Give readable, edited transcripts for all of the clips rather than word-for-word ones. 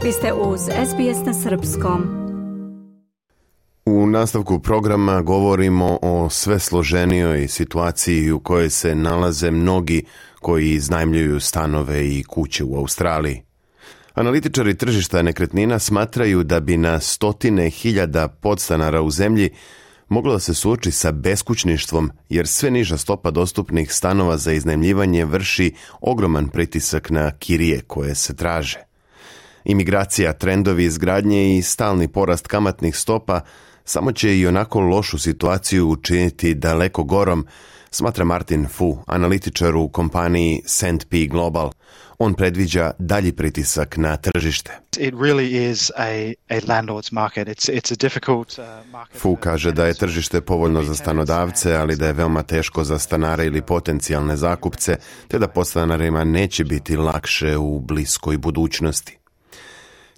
Vi ste uz SBS na srpskom. U nastavku programa govorimo o sve složenijoj situaciji u kojoj se nalaze mnogi koji iznajmljuju stanove i kuće u Australiji. Analitičari tržišta nekretnina smatraju da bi na stotine hiljada podstanara u zemlji moglo da se suoči sa beskućništvom, jer sve niža stopa dostupnih stanova za iznajmljivanje vrši ogroman pritisak na kirije koje se traže. Imigracija, trendovi izgradnje i stalni porast kamatnih stopa samo će i onako lošu situaciju učiniti daleko gorom, smatra Martin Fu, analitičar u kompaniji S&P Global. On predviđa dalji pritisak na tržište. Fu kaže da je tržište povoljno za stanodavce, ali da je veoma teško za stanare ili potencijalne zakupce, te da podstanarima neće biti lakše u bliskoj budućnosti.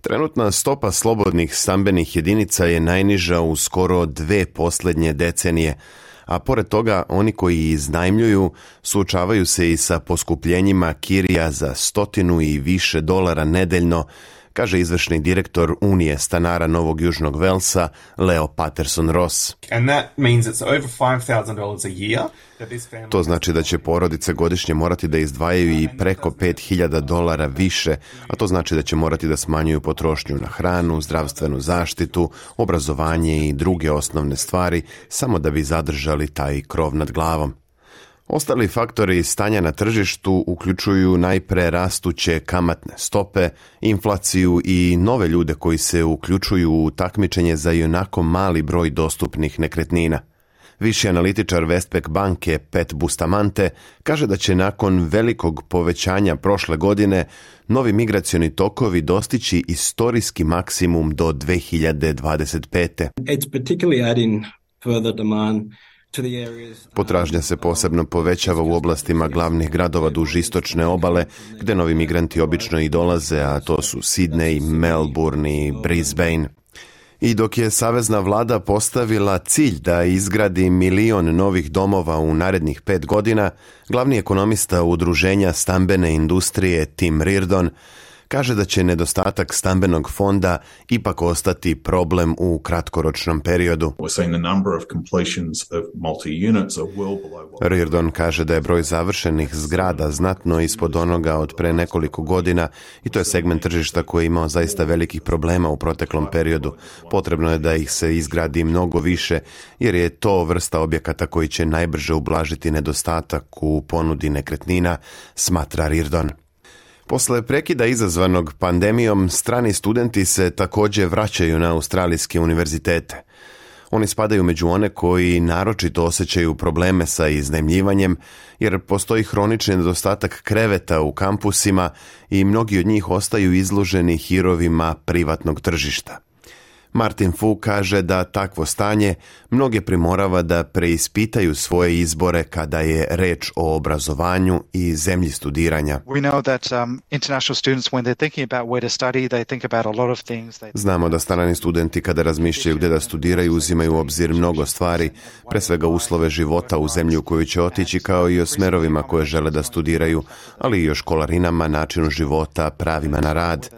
Trenutna stopa slobodnih stambenih jedinica je najniža u skoro 2 posljednje decenije, a pored toga oni koji iznajmljuju suočavaju se i sa poskupljenjima kirija za $100 i više nedeljno, kaže izvršni direktor Unije stanara Novog Južnog Velsa, Leo Patterson Ross. To znači da će porodice godišnje morati da izdvajaju i preko $5,000 više, a to znači da će morati da smanjuju potrošnju na hranu, zdravstvenu zaštitu, obrazovanje i druge osnovne stvari, samo da bi zadržali taj krov nad glavom. Ostali faktori stanja na tržištu uključuju najpre rastuće kamatne stope, inflaciju i nove ljude koji se uključuju u takmičenje za ionako mali broj dostupnih nekretnina. Viši analitičar Westpac banke Pat Bustamante kaže da će nakon velikog povećanja prošle godine novi migracioni tokovi dostići istorijski maksimum do 2025. It's particularly adding further demand. Potražnja se posebno povećava u oblastima glavnih gradova duž istočne obale, gde novi migranti obično i dolaze, a to su Sydney, Melbourne i Brisbane. I dok je savezna vlada postavila cilj da izgradi 1 milion novih domova u narednih 5 godina, glavni ekonomista udruženja stambene industrije Tim Reardon kaže da će nedostatak stambenog fonda ipak ostati problem u kratkoročnom periodu. Reardon kaže da je broj završenih zgrada znatno ispod onoga od pre nekoliko godina i to je segment tržišta koji je imao zaista velikih problema u proteklom periodu. Potrebno je da ih se izgradi mnogo više, jer je to vrsta objekata koji će najbrže ublažiti nedostatak u ponudi nekretnina, smatra Reardon. Posle prekida izazvanog pandemijom, strani studenti se također vraćaju na australijske univerzitete. Oni spadaju među one koji naročito osjećaju probleme sa iznajmljivanjem, jer postoji hronični nedostatak kreveta u kampusima i mnogi od njih ostaju izloženi hirovima privatnog tržišta. Martin Fu kaže da takvo stanje mnoge primorava da preispitaju svoje izbore kada je reč o obrazovanju i zemlji studiranja. Znamo da strani studenti kada razmišljaju gdje da studiraju uzimaju u obzir mnogo stvari, pre svega uslove života u zemlji u koju će otići, kao i o smerovima koje žele da studiraju, ali i o školarinama, načinu života, pravima na rad.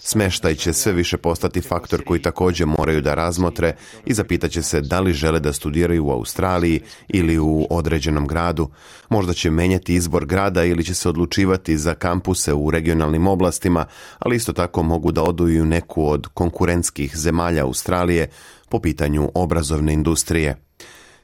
Smeštaj će sve više postati faktor koji također moraju da razmotre i zapitaće se da li žele da studiraju u Australiji ili u određenom gradu. Možda će menjati izbor grada ili će se odlučivati za kampuse u regionalnim oblastima, ali isto tako mogu da odu i u neku od konkurentskih zemalja Australije po pitanju obrazovne industrije.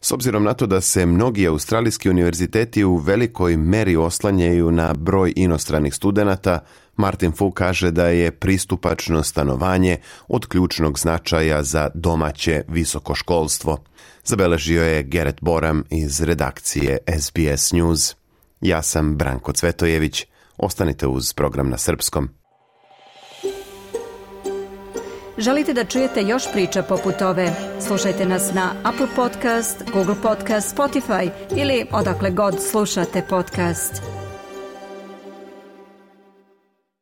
S obzirom na to da se mnogi australijski univerziteti u velikoj meri oslanjaju na broj inostranih studenata, Martin Fu kaže da je pristupačno stanovanje od ključnog značaja za domaće visoko školstvo. Zabeležio je Gerrit Boram iz redakcije SBS News. Ja sam Branko Cvetojević. Ostanite uz program na srpskom. Želite da čujete još priča poput ove? Slušajte nas na Apple Podcast, Google Podcast, Spotify ili odakle god slušate podcast.